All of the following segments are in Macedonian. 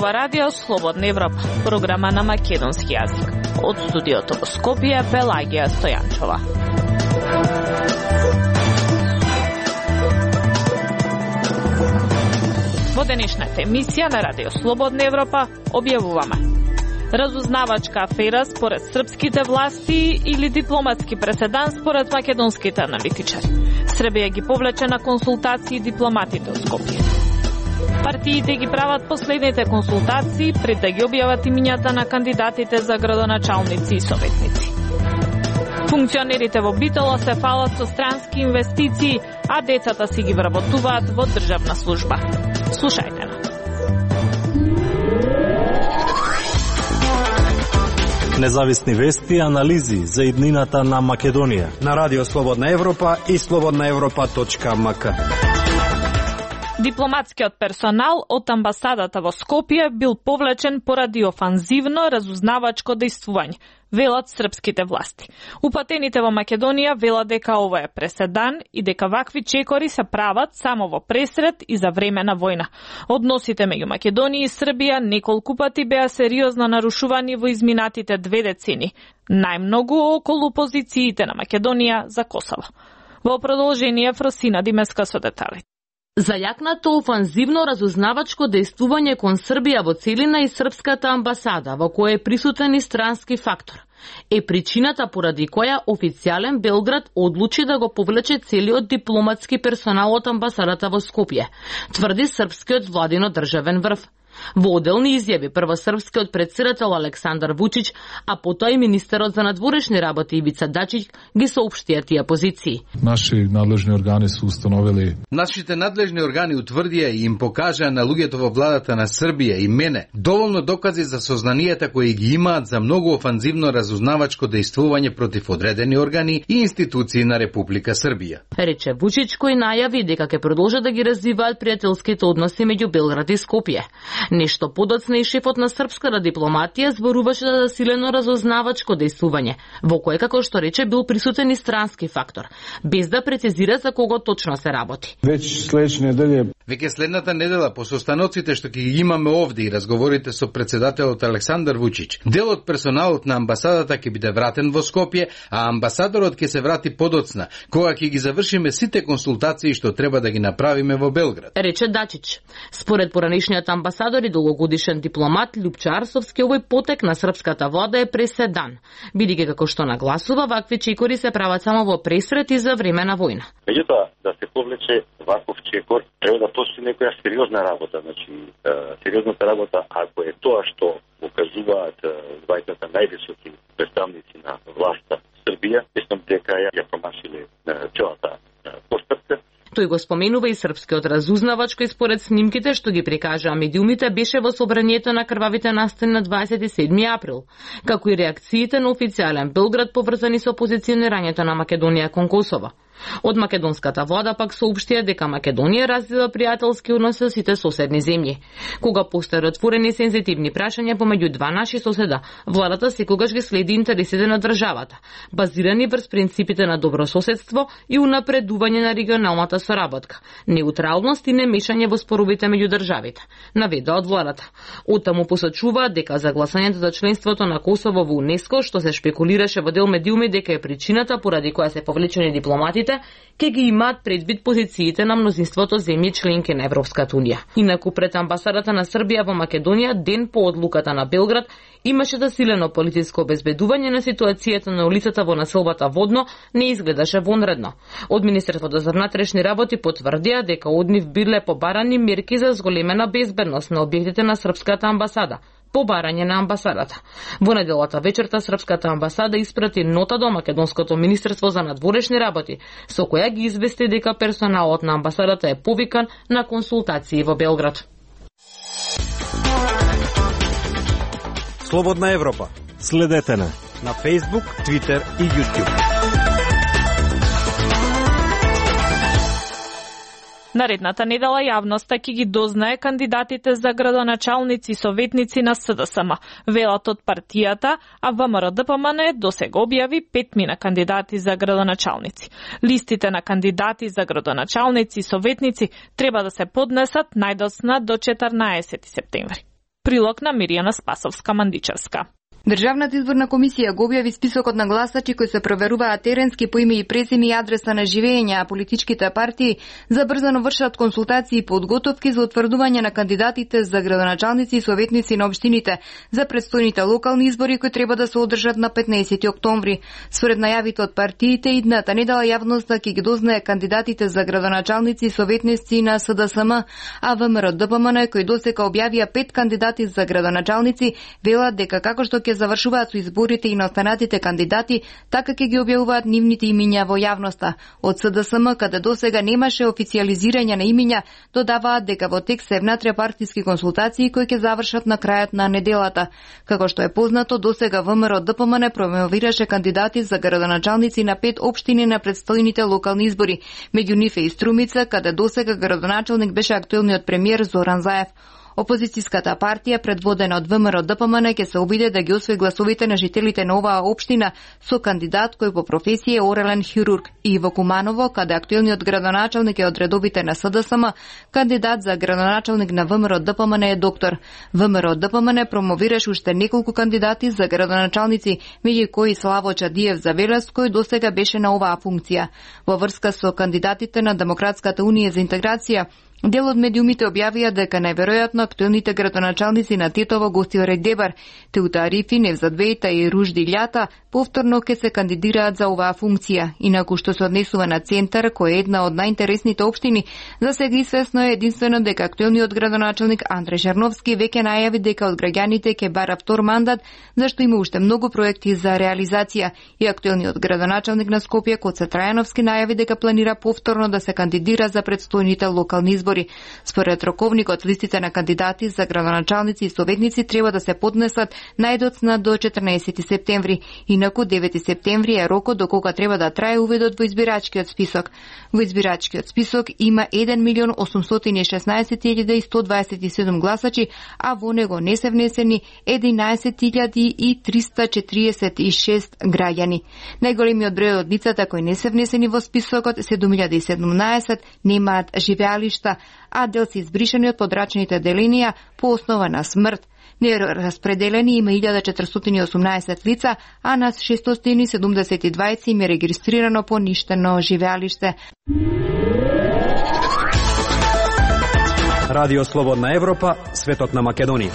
ова радио Слободна Европа, програма на македонски јазик. Од студиото во Скопје, Пелагија Стојанчова. Во денешната емисија на радио Слободна Европа објавуваме: разузнавачка афера според српските власти или дипломатски преседан според македонските аналитичари. Србија ги повлече на консултации дипломатите од Скопје. Партиите ги прават последните консултации пред да ги објават имињата на кандидатите за градоначалници и советници. Функционерите во Битола се фалат со странски инвестиции, а децата си ги вработуваат во државна служба. Слушајте на. Независни вести и анализи за иднината на Македонија на Радио Слободна Европа и slobodnaevropa.mk. Дипломатскиот персонал од амбасадата во Скопје бил повлечен поради офанзивно разузнавачко дејствување, велат српските власти. Упатените во Македонија велат дека ова е преседан и дека вакви чекори се прават само во пресрет и за време на војна. Односите меѓу Македонија и Србија неколку пати беа сериозно нарушувани во изминатите 2 децени, најмногу околу позициите на Македонија за Косово. Во продолжение Фросина Димеска со деталите. Зајакнато офанзивно разузнавачко дејствување кон Србија во целина и српската амбасада, во која е присутен и странски фактор, е причината поради која официјален Белград одлучи да го повлече целиот дипломатски персонал од амбасадата во Скопје, тврди српскиот владино државен врв. Во оделни изјави прво српскиот претседател Александар Вучич, а потоа и министерот за надворешни работи Ивица Дачич ги соопштија тие позиции. Нашите надлежни органи утврдија и им покажаа на луѓето во владата на Србија и мене доволно докази за сознанијата кои ги имаат за многу офанзивно разузнавачко дејствување против одредени органи и институции на Република Србија. Рече Вучич, кој најави дека ќе продолжат да ги развиваат пријателските односи меѓу Белград и Скопје. Нешто подоцна и шефот на српската дипломатија зборуваше за засилено разузнавачко дејствување, во кое, како што рече, бил присутен и странски фактор, без да прецизира за кого точно се работи. Веќе следната недела, по состаноците што ќе ги имаме овде и разговорите со претседателот Александар Вучич, дел од персоналот на амбасадата ќе биде вратен во Скопје, а амбасадорот ќе се врати подоцна, кога ќе ги завршиме сите консултации што треба да ги направиме во Белград. Рече Дачич. Според поранишниот амбасадор и долгогодишен дипломат Љупчо Арсовски, овој потек на српската влада е преседан, бидејќи како што нагласува, вакви чекори се прават само во пресрет и за време на војна. Меѓутоа, да се повлече ваков чекор, треба да постои некоја сериозна работа. Значи, сериозната работа, ако е тоа што покажуваат двајцата највисоки представници на власта Србија, мислам дека ја промашиле целата постапка. Тој го споменува и српскиот разузнавач, кој според снимките што ги прикажаа медиумите беше во собранието на крвавите настани на 27 април, како и реакциите на официјален Белград поврзани со позиционирањето на Македонија кон Косово. Од македонската влада пак соопштија дека Македонија развива пријателски односи со сите соседни земји. Кога постојат отворени сензитивни прашања помеѓу два наши соседа, владата секогаш ги следи интересите на државата, базирани врз принципите на добрососедство и унапредување на регионалната соработка, неутралност и немешање во споровите меѓу државите, наведа од владата. Оттаму посочуваат дека за гласањето за членството на Косово во УНЕСКО, што се шпекулираше во дел медиуми дека е причината поради која се повлечени дипломатите, ке ги имаат предвид позициите на мнозинството земји членки на Европската унија. Инаку пред амбасадата на Србија во Македонија, ден по одлуката на Белград, имаше засилено политичко обезбедување на ситуацијата на улицата во населбата Водно не изгледаше вонредно. Од Министерството за внатрешни работи потврдија дека од нив биле побарани мерки за зголемена безбедност на објектите на српската амбасада, побарање на амбасадата. Во неделата вечерта српската амбасада испрати нота до Македонското министерство за надворешни работи, со која ги извести дека персоналот на амбасадата е повикан на консултации во Белград. Слободна Европа. Следете на Facebook, Twitter и YouTube. Наредната недела јавноста ќе ги дознае кандидатите за градоначалници и советници на СДСМ, велат од партијата, а ВМРО-ДПМН досега објави 5 мина кандидати за градоначалници. Листите на кандидати за градоначалници и советници треба да се поднесат најдоцна до 14 септември. Прилог на Миријана Спасовска-Мандичевска. Државната изборна комисија го објави списокот на гласачи кои се проверуваат теренски по име и презиме и адреса на живење, а политичките партии забрзано вршат консултации и подготовки за утврдување на кандидатите за градоначалници и советници на општините за предстојните локални избори кои треба да се одржат на 15 октомври. Според најавите од партиите, идната недела јавноста ќе ги дознае кандидатите за градоначалници и советници на СДСМ, а ВМРО-ДПМН кои досега објавија 5 кандидати за градоначалници велат дека како што ќе завршуваат со изборите и на останатите кандидати, така ќе ги објавуваат нивните имиња во јавноста. Од СДСМ, каде досега немаше официјализирање на имиња, додаваат дека во текст се внатре партиски консултации кои ќе завршат на крајот на неделата. Како што е познато, досега ВМРО-ДПМН промовираше кандидати за градоначалници на 5 општини на предстојните локални избори. Меѓу нив е и Струмица, каде досега градоначалник беше актуелниот премиер Зоран Заев. Опозицијската партија, предводена од ВМРО-ДПМН, ќе се обиде да ги освои гласовите на жителите на оваа општина со кандидат кој по професија е орелен хирург, и во Куманово, каде актуелниот градоначалник е од редовите на СДСМ, кандидат за градоначалник на ВМРО-ДПМН е доктор. ВМРО-ДПМН промовираше уште неколку кандидати за градоначалници, меѓу кои Славо Чадиев за Велес, кој досега беше на оваа функција. Во врска со кандидатите на Демократската унија за интеграција, дел од медиумите објавија дека најверојатно актуелните градоначалници на Тетово, Гостилар Дебар, Теута Арифи, Невзат Бејта и Ружди Љата повторно ќе се кандидираат за оваа функција. Инаку што се однесува на Центар, кој е една од најинтересните општини, за сега известно е единствено дека актуелниот градоначалник Андре Жарновски веќе најави дека од граѓаните ќе бара втор мандат, зашто има уште многу проекти за реализација. И актуелниот градоначалник на Скопје, Коце Трајановски, најави дека планира повторно да се кандидира за предстојните локални избори. Според роковникот, листите на кандидати за градоначалници и советници треба да се поднесат најдоцна до 14 септември. Инаку 9 септември е рокот до кога треба да трае увидот во избирачкиот список. Во избирачкиот список има 1.816.127 гласачи, а во него не се внесени 11.346 граѓани. Најголемиот број од лицата кои не се внесени во списокот, 7.017, немаат живеалишта, а дел се избришани од подрачните деленија по основа на смрт. Нераспределени има 1418 лица, а на 672 им е регистрирано поништено живеалиште. Радио Слободна Европа, светот на Македонија.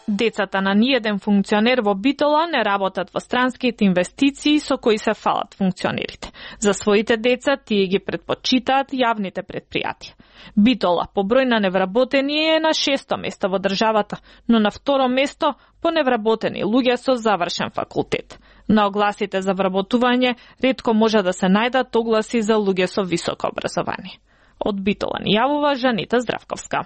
Децата на ниеден функционер во Битола не работат во странските инвестиции со кои се фалат функционерите. За своите деца тие ги предпочитаат јавните предпријатија. Битола по број на невработени е на 6-то место во државата, но на 2-ро место по невработени луѓе со завршен факултет. На огласите за вработување ретко може да се најдат огласи за луѓе со високо образование. Од Битола ни јавува Жанита Здравковска.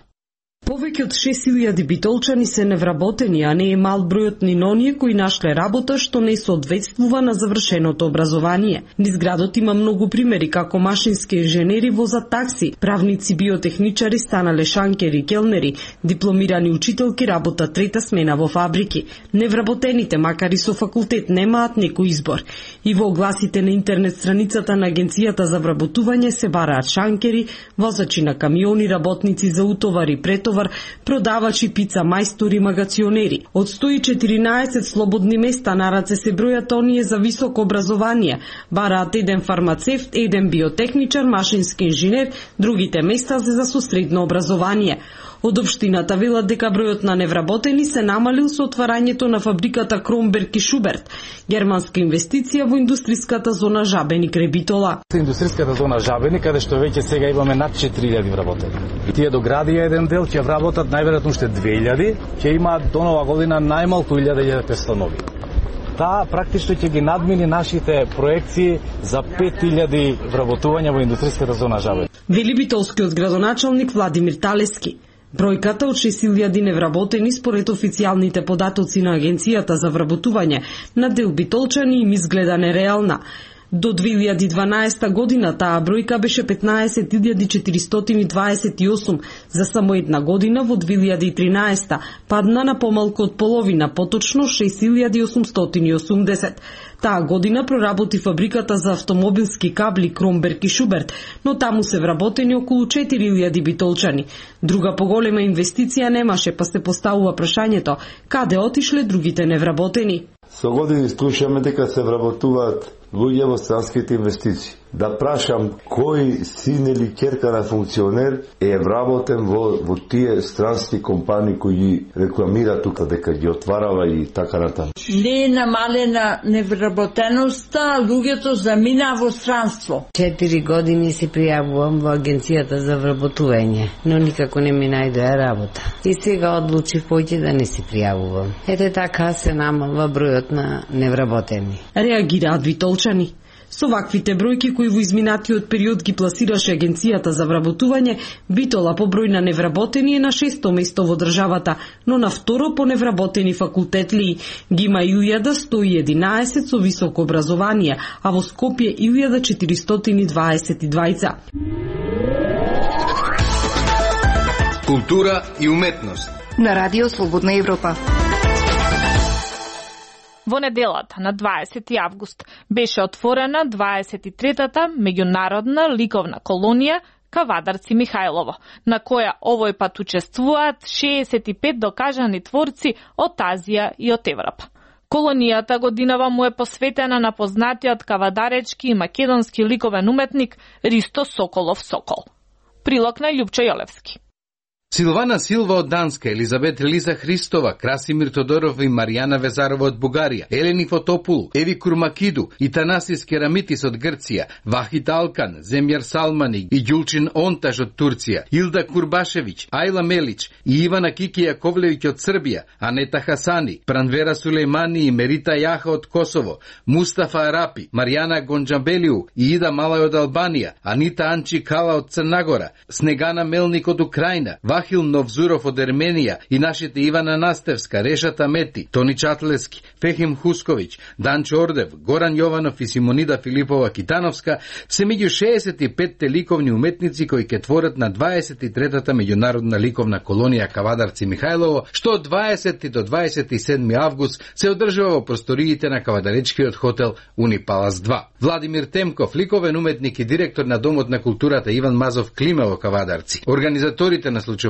Повеќе од 6000 битолчани се невработени, а не е мал бројот ни оние кои нашле работа што не соодветствува на завршеното образование. Низ градот има многу примери како машински инженери возат такси, правници, биотехничари станале шанкери, келнери, дипломирани учителки работат трета смена во фабрики. Невработените, макар и со факултет, немаат некој избор. И во огласите на интернет страницата на Агенцијата за вработување се бараат шанкери, возачи на камиони, работници за утовар и претовар, продавачи, пица мајстори, магационери. Од 114 слободни места на раце се бројат оние за високо образование. Бараат еден фармацевт, еден биотехничар, машински инженер, другите места се за со средно образование. Од општината велат дека бројот на невработени се намалил со отварањето на фабриката Кромберг и Шуберт, германска инвестиција во индустриската зона Жабени крај Битола. Индустриската зона Жабени, каде што веќе сега имаме над 4000 вработени. Тие доградија еден дел, ќе вработат најверојатно уште 2000, ќе имаат до нова година најмалку 1500 нови. Таа практично ќе ги надмини нашите проекции за 5000 вработувања во индустриската зона Жабени. Вели битолскиот градоначалник Владимир Талески. Бројката од 6000 невработени според официјалните податоци на Агенцијата за вработување на дел битолчани им изгледа нереална. До 2012 година таа бројка беше 15.428, за само една година во 2013 падна на помалку од половина, поточно 6.880. Таа година проработи фабриката за автомобилски кабли Кромберг и Шуберт, но таму се вработени околу 4.000 битолчани. Друга поголема инвестиција немаше, па се поставува прашањето каде отишле другите невработени. Со години слушаме дека се вработуваат луѓе во странските инвестиции. Да прашам кој син или ќерка на функционер е вработен во тие странски компании кои ги рекламира тука дека ги отварава и така натаму. Не е намалена невработеноста, луѓето замина во странство. 4 години се пријавувам во агенцијата за вработување, но никако не ми најдоа работа. И сега одлучив поќе да не се пријавувам. Ете така се намалва бројот на невработени. Реагираат битолчани. Со ваквите бројки кои во изминатиот период ги пласираше агенцијата за вработување, Битола по број на невработени е на 6-то место во државата, но на второ по невработени факултетли ги има 1111 со високо образование, а во Скопје 1422. Култура и уметност на Радио Слободна Европа. Во неделата на 20 август беше отворена 23-та меѓународна ликовна колонија Кавадарци Михајлово, на која овој пат учествуваат 65 докажани творци од Азија и од Европа. Колонијата годинава му е посветена на познатиот кавадаречки и македонски ликовен уметник Ристо Соколов Сокол. Прилог на Љупчо Јолевски. Силвана Силва од Данска, Елизабет Лиза Христова, Красимир Тодоров и Маријана Везарова од Бугарија, Елени Фотопулу, Еви Курмакиду и Танасис Керамитис од Грција, Вахит Алкан, Земјар Салмани и Ѓулчин Онтаж од Турција, Илда Курбашевиќ, Ајла Мелич и Ивана Кики Јаковлевиќ од Србија, Анета Хасани, Пранвера Сулејмани и Мерита Јаха од Косово, Мустафа Арапи, Маријана Гонџабелиу и Ида Малај од Албанија, Анита Анчи Кала од Црнагора, Снегана Мелник од Украина, Вахил Новзуров од Ерменија и нашите Ивана Настевска, Решата Мети, Тони Чатлески, Фехим Хусковиќ, Данчо Ордев, Горан Јованов и Симонида Филипова Китановска се меѓу 65-те ликовни уметници кои ќе творат на 23-та меѓународна ликовна колонија Кавадарци Михајлово, што од 20 до 27 август се одржува во просториите на кавадаречкиот хотел Унипалас 2. Владимир Темков, ликовен уметник и директор на Домот на културата Иван Мазов Климе во Кавадарци, организаторите на случувањето,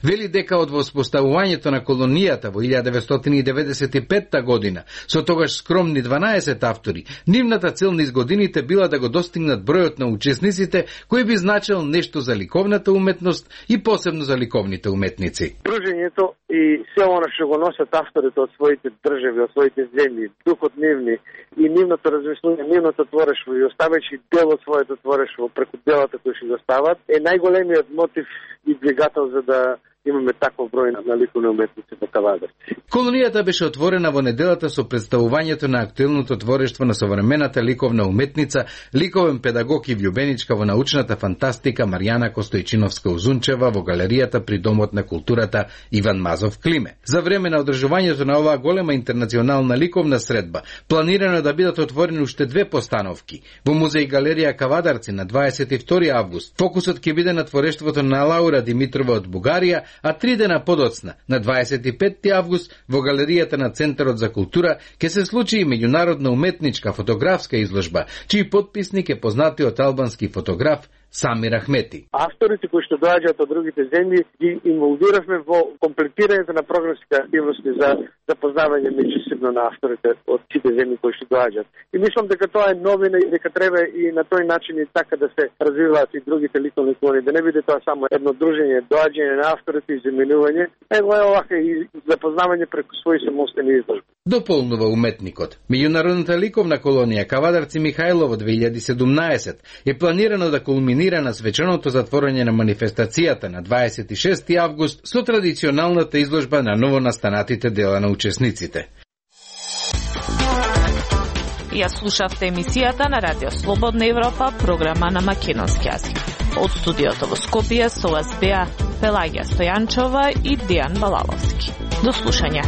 вели дека од воспоставувањето на колонијата во 1995 година, со тогаш скромни 12 автори, нивната цел низ годините била да го достигнат бројот на учесниците кој би значил нешто за ликовната уметност и посебно за ликовните уметници. Дружењето и се она што го носат авторите од своите држави, од своите земји, духот нивни и нивното размислување, нивното творештво и оставајќи дел од своето творештво преку делата кои што го стават, е најголемиот мотив и двигател за да имаме таков број на ликовни уметници во Кавадарци. Колонијата беше отворена во неделата со представувањето на актуелното творештво на современата ликовна уметница, ликовен педагог и влюбеничка во научната фантастика Маријана Костојчиновска-Узунчева во галеријата при Домот на културата Иван Мазов Климе. За време на одржувањето на оваа голема интернационална ликовна средба, планирано да бидат отворени уште 2 постановки. Во музеј галерија Кавадарци на 22 август фокусот ќе биде на творештвото на Лаура Димитрова од Бугарија, а 3 дена подоцна, на 25 август, во галеријата на Центарот за култура, ќе се случи и меѓународна уметничка фотографска изложба, чиј потписник е познатиот албански фотограф Самир Ахмети. Авторите кои што доаѓаат од другите земји ги инволвиравме во комплетирањето на програмските активности за запознавање меѓусебно на авторите од сите земји кои што доаѓаат. И мислам дека тоа е новина и дека треба и на тој начин и така да се развиваат и другите ликовни колонии, да не биде тоа само едно дружење, доаѓање на авторите и заменување, него е овака и запознавање преку своји самостојни изложби. Дополнува уметникот. Меѓународната ликовна колонија Кавадарци Михајлово 2017 е планирано да кулминира на свеченото затворање на манифестацијата на 26 август со традиционалната изложба на новонастанатите дела на учесниците. Ја слушавте емисијата на Радио Слободна Европа, програма на македонски јазик. Од студиото во Скопје со вас беа Пелагија Стојанчова и Дијан Балаловски. До слушање.